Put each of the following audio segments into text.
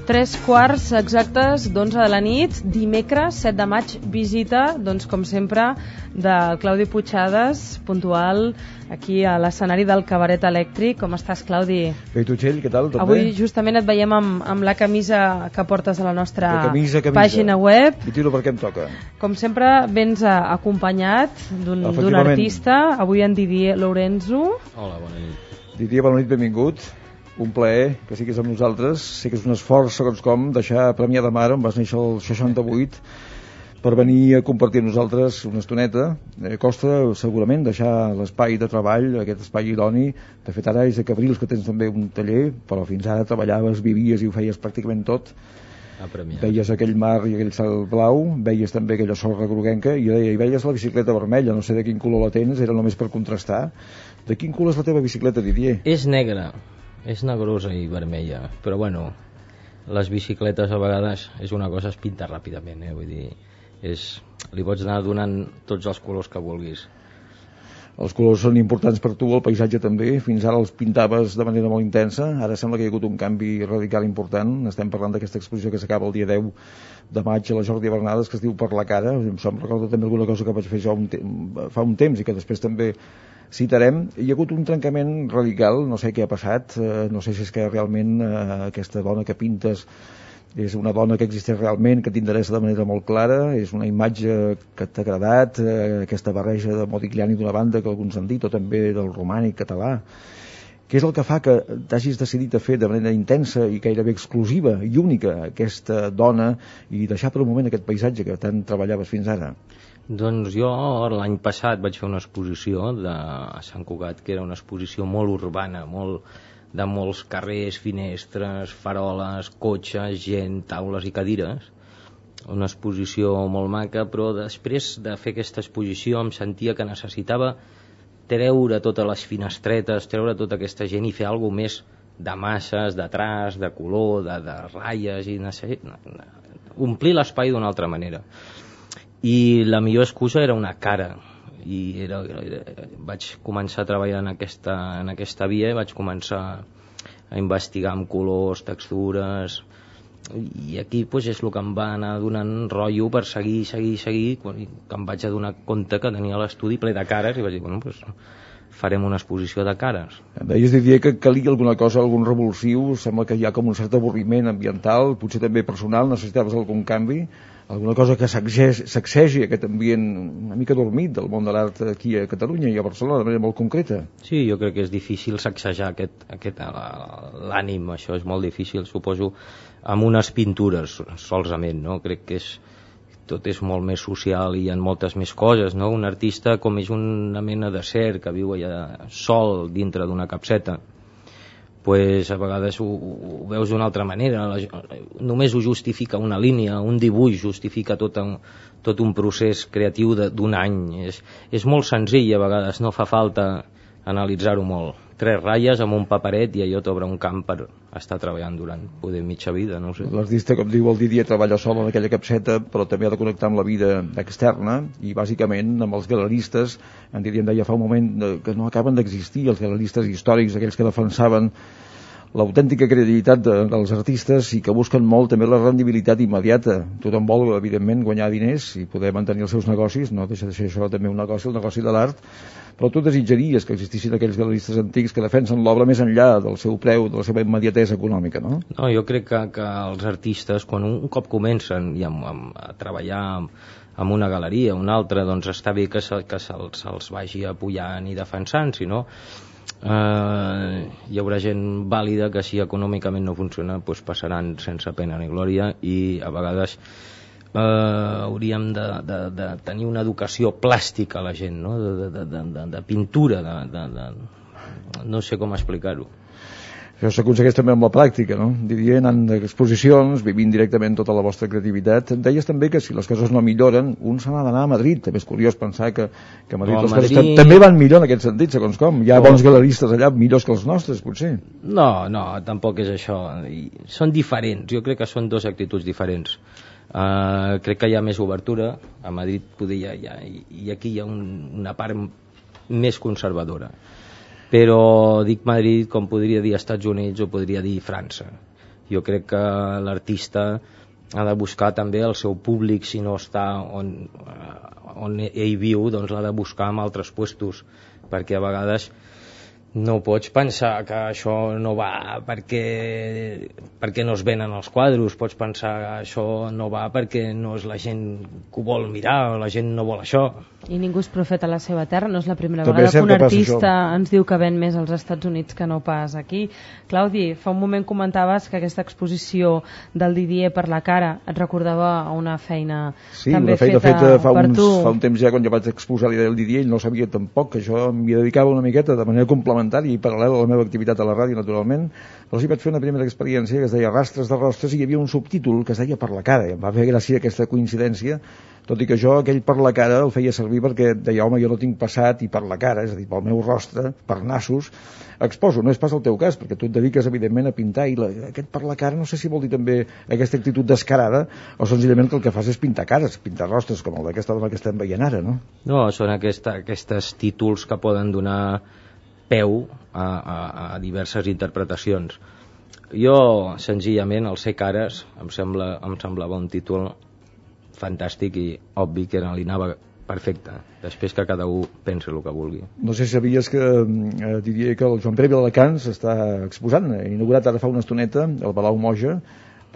Tres quarts exactes d'11 de la nit, dimecres 7 de maig, visita, doncs com sempre, del Claudi Puigades, puntual aquí a l'escenari del Cabaret Elèctric. Com estàs, Claudi? Bé, tu, Txell, què tal? Tot Avui bé? justament et veiem amb la camisa que portes a la nostra pàgina web. I tiro perquè em toca. Com sempre, vens acompanyat d'un artista, avui en Didier Lorenzo. Hola, bona nit. Didier, bona nit, benvingut. Un plaer que siguis amb nosaltres. Sé que és un esforç, segons com, deixar Premià de Mar, on vas néixer el 68, per venir a compartir amb nosaltres una estoneta. Costa, segurament, deixar l'espai de treball, aquest espai idoni. De fet, ara és a Cabrils, que tens també un taller, però fins ara treballaves, vivies i ho feies pràcticament tot. Veies aquell mar i aquell cel blau, veies també aquella sorra groguenca i veies la bicicleta vermella, no sé de quin color la tens, era només per contrastar. De quin color és la teva bicicleta, Didier? És negra. És negrosa i vermella, però bueno, les bicicletes a vegades és una cosa, es pinta ràpidament, vull dir, li pots anar donant tots els colors que vulguis. Els colors són importants per tu, el paisatge també, fins ara els pintaves de manera molt intensa, ara sembla que hi ha hagut un canvi radical important. Estem parlant d'aquesta exposició que s'acaba el dia 10 de maig a la Jordi Bernades, que es diu Per la cara. Em recorda també alguna cosa que vaig fer jo fa un temps i que després també citarem. Hi ha hagut un trencament radical, no sé què ha passat, no sé si és que realment aquesta dona que pintes és una dona que existeix realment, que t'interessa de manera molt clara, és una imatge que t'ha agradat, aquesta barreja de Modigliani d'una banda, que alguns han dit, o també del romànic català. Què és el que fa que t'hagis decidit a fer de manera intensa i gairebé exclusiva i única aquesta dona i deixar per un moment aquest paisatge que tant treballaves fins ara? Doncs jo l'any passat vaig fer una exposició a Sant Cugat, que era una exposició molt urbana, de molts carrers, finestres, faroles, cotxes, gent, taules i cadires. Una exposició molt maca, però després de fer aquesta exposició em sentia que necessitava treure totes les finestretes, treure tota aquesta gent i fer alguna més de masses, de traç, de color, de ratlles, i omplir l'espai d'una altra manera. I la millor excusa era una cara, i vaig començar a treballar en aquesta via, vaig començar a investigar amb colors, textures, i aquí és el que em va anar donant rotllo per seguir, que em vaig adonar compte que tenia l'estudi ple de cares i vaig dir, farem una exposició de cares. Deies, Didier, que calia alguna cosa, algun revulsiu, sembla que hi ha com un cert avorriment ambiental, potser també personal, necessitaves algun canvi, alguna cosa que sacsegi aquest ambient una mica dormit del món de l'art aquí a Catalunya i a Barcelona de manera molt concreta. Sí, jo crec que és difícil sacsejar l'ànim, això és molt difícil, suposo, amb unes pintures solament, no? Crec que tot és molt més social i hi ha moltes més coses, no? Un artista com és una mena de ser que viu allà sol dintre d'una capseta, a vegades ho veus d'una altra manera, només ho justifica una línia, un dibuix justifica tot un procés creatiu d'un any, és molt senzill, a vegades no fa falta analitzar-ho molt, 3 ratlles amb un paperet i allò t'obre un camp per estar treballant durant poder mitja vida, no ho sé. L'artista, com diu el Didier, treballa sol en aquella capseta, però també ha de connectar amb la vida externa i bàsicament amb els galeristes. En Didier em deia fa un moment que no acaben d'existir els galeristes històrics, aquells que defensaven l'autèntica credibilitat dels artistes i que busquen molt també la rendibilitat immediata. Tothom vol, evidentment, guanyar diners i poder mantenir els seus negocis, no deixa de ser això també un negoci, el negoci de l'art, però tu desitjaries que existissin aquells galeristes antics que defensen l'obra més enllà del seu preu, de la seva immediatesa econòmica, no? No, jo crec que els artistes, quan un cop comencen a treballar amb una galeria, una altra, doncs està bé que se'ls vagi apujant i defensant, si no hi haurà gent vàlida que si econòmicament no funciona passaran sense pena ni glòria i a vegades hauríem de tenir una educació plàstica a la gent, no? de pintura, no sé com explicar-ho. Això s'aconsegueix també amb la pràctica, no? Diria, anant d'exposicions, vivint directament tota la vostra creativitat. Deies també que si les coses no milloren, un se n'ha d'anar a Madrid. També és curiós pensar que a Madrid les coses també van millor en aquest sentit, segons com. Hi ha bons galeristes allà, millors que els nostres, potser. No, tampoc és això. Són diferents, jo crec que són dues actituds diferents. Crec que hi ha més obertura a Madrid, i aquí hi ha una part més conservadora. Però dic Madrid com podria dir Estats Units o podria dir França. Jo crec que l'artista ha de buscar també el seu públic, si no està on ell viu, doncs l'ha de buscar en altres puestos, perquè a vegades no pots pensar que això no va perquè no es venen els quadros, pots pensar que això no va perquè no és la gent que ho vol mirar, o la gent no vol això. I ningú és profeta a la seva terra, no és la primera vegada que un artista ens diu que ven més als Estats Units que no pas aquí. Claudi, fa un moment comentaves que aquesta exposició del Didier per la cara et recordava una feina també feta per tu. Fa un temps ja, quan jo vaig exposar l'idea del Didier, ell no sabia tampoc que jo m'hi dedicava una miqueta de manera complementària i paral·lela a la meva activitat a la ràdio, naturalment. Però sí vaig fer una primera experiència que es deia Rastres de rostres, i hi havia un subtítol que es deia Per la cara, i em va fer gràcia aquesta coincidència, tot i que jo aquell per la cara el feia servir perquè deia, home, jo no tinc passat i per la cara, és a dir, pel meu rostre, per nassos, exposo. No és pas el teu cas, perquè tu et dediques evidentment a pintar, i aquest per la cara no sé si vol dir també aquesta actitud descarada, o senzillament que el que fas és pintar cares, pintar rostres, com el d'aquesta dona que estem veient ara, no? No, són aquests títols que poden donar peu a diverses interpretacions. Jo, senzillament, el Ser cares em semblava un títol fantàstic i obvi que li anava perfecte. Després que cada un pensi el que vulgui. No sé si sabies que diria que el Joan Pere Viladecans està exposant, inaugurat ara fa una estoneta, el Palau Moja,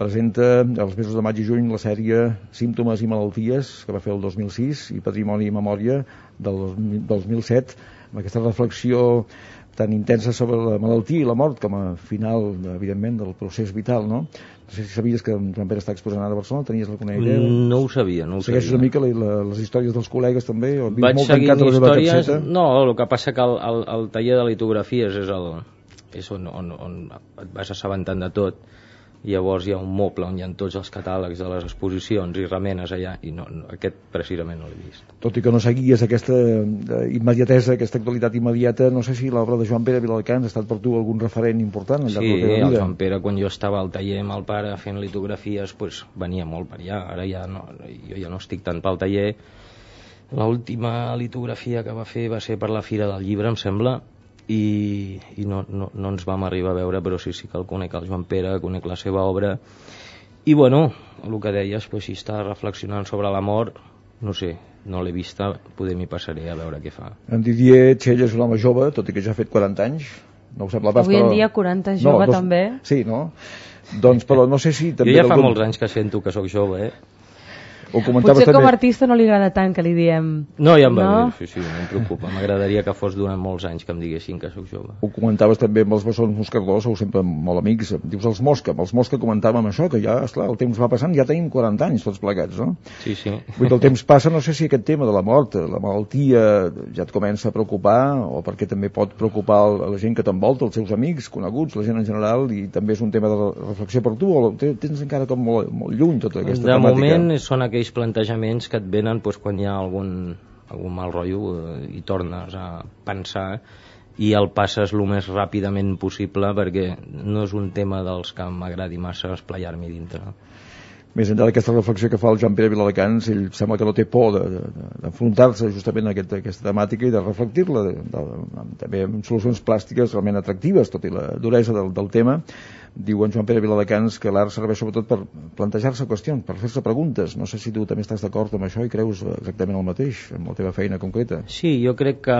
presenta els mesos de maig i juny la sèrie Símptomes i malalties, que va fer el 2006, i Patrimoni i memòria del 2007, amb aquesta reflexió tan intensa sobre la malaltia i la mort com a final, evidentment, del procés vital, no? No sé si sabies que Joan Pere està exposant ara a Barcelona, tenies alguna idea? No ho sabia, Segueixes una mica les històries dels col·legues també? O vaig seguint històries, no, el que passa que el taller de litografies és on et vas assabentant de tot. Llavors hi ha un moble on hi ha tots els catàlegs de les exposicions i remenes allà, i aquest precisament no l'he vist. Tot i que no seguies aquesta immediatesa, aquesta actualitat immediata, no sé si l'obra de Joan Pere Viladecans ha estat per tu algun referent important al llarg de la teva vida. Sí, el Joan Pere, quan jo estava al taller amb el pare fent litografies, pues, venia molt per allà. Ara ja no, jo ja no estic tant pel taller. L'última litografia que va fer va ser per la Fira del Llibre, em sembla, i no ens vam arribar a veure, però sí que el conec, el Joan Pere, conec la seva obra, i bueno, el que deies, pues, si està reflexionant sobre la mort, no sé, no l'he vista, poder m'hi passaré a veure què fa. En Didier Txell és un home jove, tot i que ja ha fet 40 anys, no ho sembla pas, avui en dia 40 jove també. Sí, no? Doncs, però no sé si també... Jo ja fa molts anys que sento que sóc jove, Potser com a artista no li agrada tant que li diem. No, ja em va bé, sí, no em preocupa. M'agradaria que fos durant molts anys que em diguessin que sóc jove. Ho comentaves també amb els bessons moscardors, sou sempre molt amics. Dius els Mosca comentàvem això, que ja, esclar, el temps va passant, ja tenim 40 anys tots plegats, no? Sí. Vull dir, el temps passa, no sé si aquest tema de la mort, la malaltia, ja et comença a preocupar, o perquè també pot preocupar la gent que t'envolta, els seus amics, coneguts, la gent en general, i també és un tema de reflexió per tu, o tens encara com molt lluny tota aquesta temàtica? De moment són aquells plantejaments que et venen quan hi ha algun mal rotllo i tornes a pensar i el passes el més ràpidament possible, perquè no és un tema dels que m'agradi massa esplaiar-m'hi dintre. Més enllà d'aquesta reflexió que fa el Joan Pere Viladecans, ell sembla que no té por d'enfrontar-se justament a aquesta temàtica i de reflectir-la també amb solucions plàstiques realment atractives, tot i la duresa del tema. Diu en Joan Pere Viladecans que l'art serveix sobretot per plantejar-se qüestions, per fer-se preguntes. No sé si tu també estàs d'acord amb això i creus exactament el mateix amb la teva feina concreta. Sí, jo crec que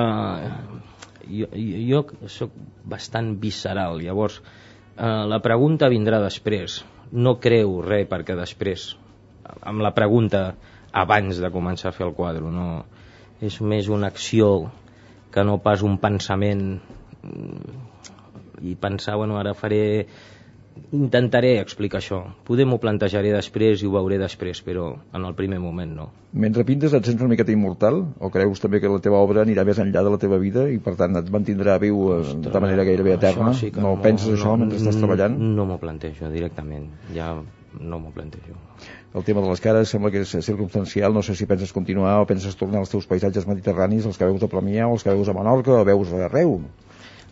jo soc bastant visceral, llavors la pregunta vindrà després. No creu res perquè després, amb la pregunta abans de començar a fer el quadre, no, és més una acció que no pas un pensament, i pensar, bueno, ara faré intentaré explicar això. Poder m'ho plantejaré després i ho veuré després, però en el primer moment no. Mentre pintes et sents una miqueta immortal? O creus també que la teva obra anirà més enllà de la teva vida i per tant et mantindrà viu de manera gairebé eterna? Sí no penses això mentre estàs treballant? No m'ho plantejo directament, ja no m'ho plantejo. El tema de les cares sembla que és circumstancial, no sé si penses continuar o penses tornar als teus paisatges mediterranis, els que veus a Premià o els que veus a Menorca o veus arreu.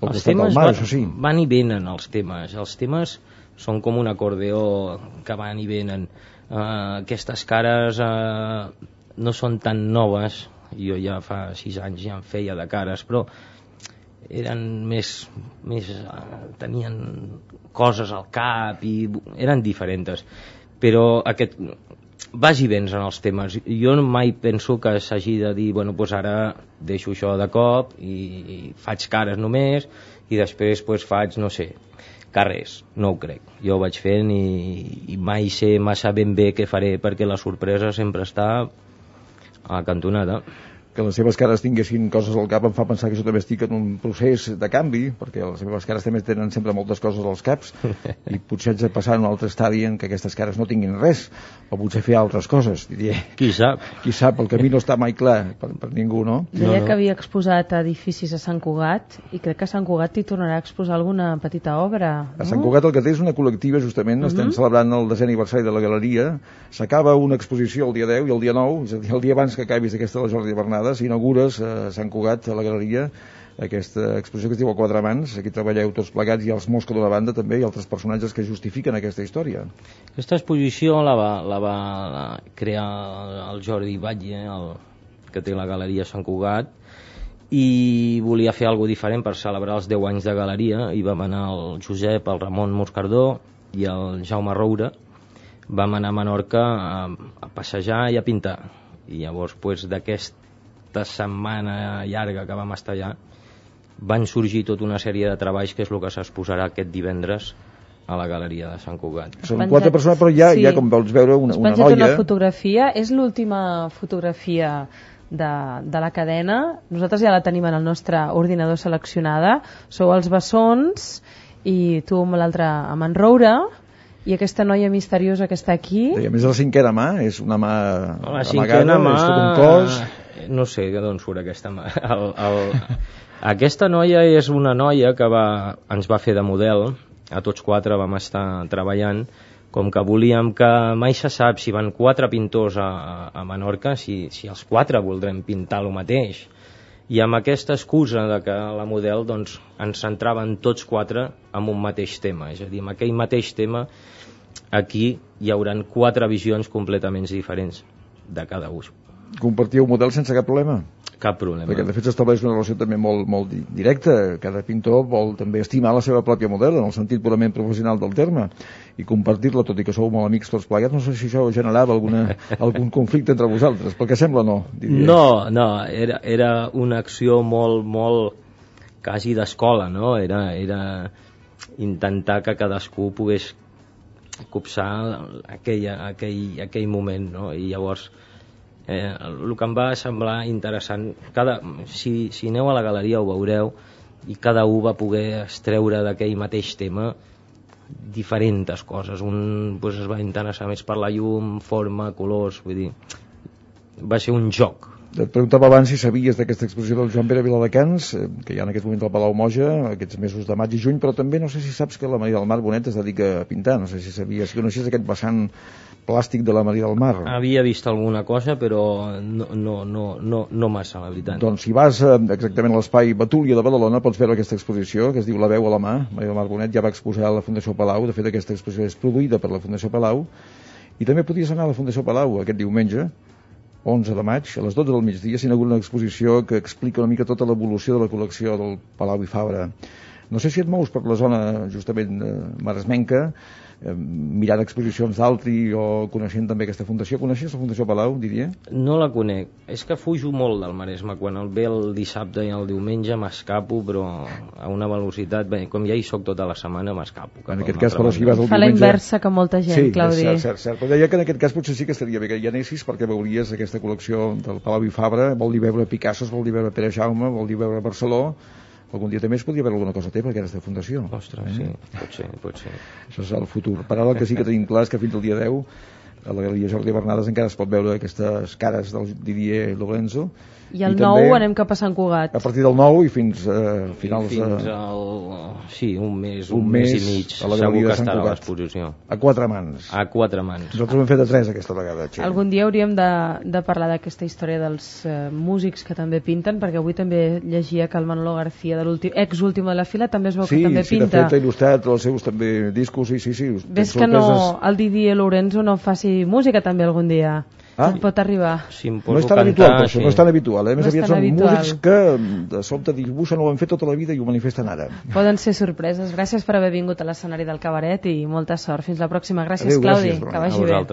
Els temes mar, van i venen, els temes són com un acordeó que van i venen. Aquestes cares no són tan noves, jo ja fa 6 anys ja en feia de cares, però eren més tenien coses al cap i eren diferents, però aquest vas i vens en els temes. Jo mai penso que s'hagi de dir, bueno, doncs ara deixo això de cop i faig cares només i després doncs faig, no sé, carrers. No ho crec. Jo ho vaig fent i mai sé massa ben bé què faré, perquè la sorpresa sempre està a la cantonada. Que les seves cares tinguessin coses al cap em fa pensar que jo també estic en un procés de canvi, perquè les seves cares també tenen sempre moltes coses als caps i potser haig de passar a un altre estadi en què aquestes cares no tinguin res, o potser fer altres coses, diria. Qui sap? Qui sap, el camí no està mai clar per ningú, no? Deia que havia exposat edificis a Sant Cugat i crec que a Sant Cugat hi tornarà a exposar alguna petita obra, no? A Sant Cugat el que té és una col·lectiva, justament, estem celebrant el 10è aniversari de la galeria, s'acaba una exposició el dia 10 i el dia 9, és a dir, el dia abans que acabis aquesta de la Jordi Bernat, s'inaugures a Sant Cugat, a la galeria, aquesta exposició que es diu A Quatre Mans. Aquí treballeu tots plegats, i els Mosca d'una banda també, i altres personatges que justifiquen aquesta història. Aquesta exposició la va crear el Jordi Batlle, que té la galeria Sant Cugat, i volia fer alguna diferent per celebrar els 10 anys de galeria, i vam anar el Josep, el Ramon Moscardó i el Jaume Roura, vam anar a Menorca a passejar i a pintar, i llavors d'aquesta setmana llarga que vam estar allà van sorgir tota una sèrie de treballs que és el que s'exposarà aquest divendres a la galeria de Sant Cugat. Són 4 persones, però ja com vols veure una noia. Una fotografia, és l'última fotografia de la cadena. Nosaltres ja la tenim en el nostre ordinador seleccionada. Sou els Bessons i tu amb l'altre amb en Roura, i aquesta noia misteriosa que està aquí. I a més la 5a mà, és una mà la 5a mà, és tot un cos. No sé d'on surt aquesta mà. Aquesta noia és una noia que ens va fer de model, a tots 4 vam estar treballant, com que volíem que mai se sap si van 4 pintors a Menorca, si els 4 voldrem pintar el mateix. I amb aquesta excusa de que la model doncs, ens centraven tots 4 en un mateix tema, és a dir, amb aquell mateix tema aquí hi hauran 4 visions completament diferents de cada ús. Compartíeu model sense cap problema? Cap problema. Perquè de fet s'estableix una relació també molt directa. Cada pintor vol també estimar la seva pròpia model en el sentit purament professional del terme i compartir-la, tot i que sou molt amics tots plegats. No sé si això generava algun conflicte entre vosaltres, pel que sembla no. Diria. No, era una acció molt quasi d'escola, no? Era intentar que cadascú pogués copsar aquell moment, no? I llavors el que em va semblar interessant, si aneu a la galeria ho veureu, i cada un va poder extreure d'aquell mateix tema diferents coses. Un es va interessar més per la llum, forma, colors, vull dir, va ser un joc. Et preguntava abans si sabies d'aquesta exposició del Joan Pere Viladecans, que hi ha en aquest moment al Palau Moja, aquests mesos de maig i juny, però també no sé si saps que la Maria del Mar Bonet es dedica a pintar, no sé si sabies, si coneixies aquest vessant plàstic de la Maria del Mar. Havia vist alguna cosa, però no massa, la veritat. Doncs si vas exactament a l'espai Betúlia de Badalona pots veure aquesta exposició, que es diu La veu a la mà. Maria del Mar Bonet ja va exposar a la Fundació Palau, de fet aquesta exposició és produïda per la Fundació Palau, i també podies anar a la Fundació Palau aquest diumenge, 11 de maig, a les 12 del migdia, s'inaugura una exposició que explica una mica tota l'evolució de la col·lecció del Palau i Fabra. No sé si et mous per la zona justament maresmenca, mirant exposicions d'altri o coneixent també aquesta fundació. Coneixes la Fundació Palau, diria? No la conec. És que fujo molt del Maresme. Quan el ve el dissabte i el diumenge m'escapo, però a una velocitat... Bé, com ja hi soc tota la setmana, m'escapo. En aquest cas, però si vas el diumenge... Fa la inversa que molta gent, sí, Claudi. Sí, cert. Però deia que en aquest cas potser sí que estaria bé que hi anessis, perquè veuries aquesta col·lecció del Palau i Fabra. Vol dir veure Picassos, vol dir veure Pere Jaume, vol dir veure Barceló, algun dia també es podria veure alguna cosa teva, que eres de fundació. Ostres, sí, pot ser. Això és el futur. Per ara el que sí que tenim clar és que fins al dia 10 a la Galeria Jordi Bernades encara es pot veure aquestes cares del Didier Lorenzo. I el 9 anem cap a Sant Cugat. A partir del 9 i fins finals fins un mes i mig a la Galeria de Sant Cugat. L'exposició. A 4 mans. Nosaltres ho hem fet a 3 aquesta vegada, Txell. Algun dia hauríem de parlar d'aquesta història dels músics que també pinten, perquè avui també llegia que el Manolo García, de ex-último de la fila, també es veu que també pinta. Sí, de fet ha il·lustrat els seus també discos, sí. Ves que el Didier Lorenzo no faci música també algun dia. Pot arribar. Si no és tan habitual, però això no és tan habitual. Més aviat són músics que de sobte dibuixen, ho han fet tota la vida i ho manifesten ara. Poden ser sorpreses. Gràcies per haver vingut a l'escenari del Cabaret i molta sort. Fins la pròxima. Gràcies, Claudi. Que vagi bé.